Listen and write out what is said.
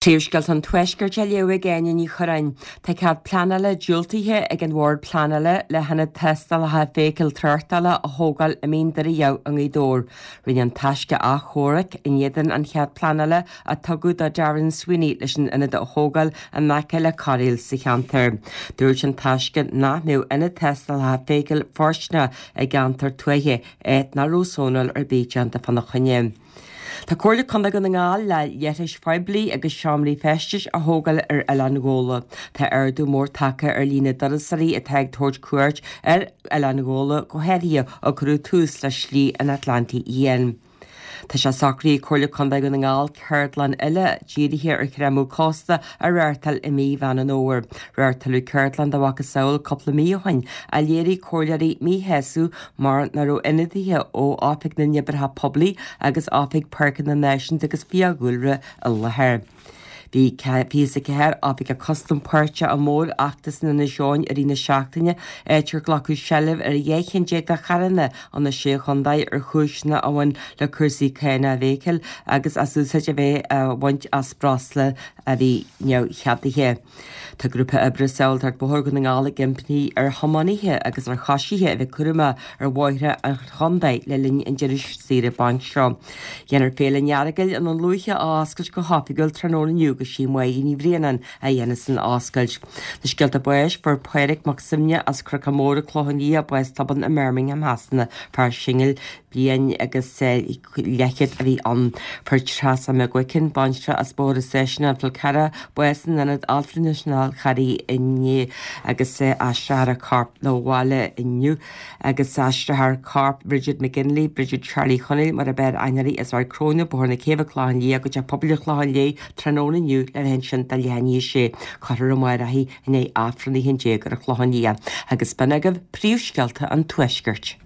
Príomhscéalta an Tuaiscirt á léamh ag Áine Ní Churráin. Tá cead pleanála diúltaithe ag an Bhord Pleanála le hionad tástálacha feithicle tráchtála a thógáil i Mín Doire Dhamh i nGaoth Dobhair. Rinne an Taisce achomharc in éadan an chead pleanála a tugadh do Darren Sweeney leis an ionad a thógáil in aice le cairéal sa cheantar. Dúirt an Taisce nach mbeadh ionad tástálacha feithicle fóirsteanach i gceantar tuaithe, áit nach raibh sónáil ar bith déanta fána choinne. Tá Comhairle Contae Dhún na nGall le leithris phoiblí agus seomraí feistis a thógáil ar Oileán Ghabhla. Tá ardú mór tagtha ar líon na dturasóirí atá ag tabhairt cuairt ar Oileán Ghabhla, go háirithe ó cuireadh tús le Slí an Atlantaigh Fhiáin. Tá sé socraithe ag Comhairle Contae Dhún na nGall ceardlann eile dírithe ar chreimeadh cósta a reáchtáil i mí Mheán an Fhómhair. Reáchtáladh ceardlann dá mhacasamhail cúpla mí ó shin ach léirigh comhairleoirí míshásamh mar nach raibh ionadaithe ó Oifig na nOibreacha Poiblí agus Oifig Páirceanna Náisiúnta agus Fiadhúlra i láthair. Bhí 24 oifigeach custaim páirteach i mórfheachtas in Inis Eoghain i rith na seachtaine, áit ar glacadh seilbh ar 12 cheann de charranna ó na Sé Chontae ar chúiseanna a bhain le cúrsaí cánach feithicle agus as úsáid a bheith á bhaint as breosla a bhí neamhcheadaithe. Tá Grúpa Oibre Sábháilteacht Bóthair Dhún na nGall ag impí ar thiománaithe agus ar choisithe a bheith cúramach ar bhóithre an chontae le linn an deireadh saoire bainc seo. Déanfar Féile an Earagail i nDún Lúiche a oscailt go hoifigiúil tráthnóna inniu agus sí Máire Ní Bhraonáin a dhéanfas an oscailt. Na scéalta báis, fuair Pádraig Mac Suibhne as Cnocán Mór, an Clochán Liath, bás tobann i mBirmingham Shasana, fear singil, bliain agus leathchéad a bhí ann. Fuair Treasa McGuicken, baintreach as Bóthar an Stáisiúin, An Fál Carrach, bás in Ionad Altranais an Fháil Charraigh inné agus aistreofar a corp 'na bhaile inniu agus aistreofar corp Bridget McGinley, Bridget Charlie Chonaill mar ab fhearr aithne uirthi, as Ard Cróine, Bóthar na Céibhe, Clochán Liath, go Teach Pobail an Chlocháin Léith tráthnóna inniu le bheith ansin do leath i ndiaidh a sé. Cuirfear amárach í i ndiaidh Aifreann 11 ar an Chlochán Liath. Agus b'in agaibh príomhscéalta an Tuaiscirt.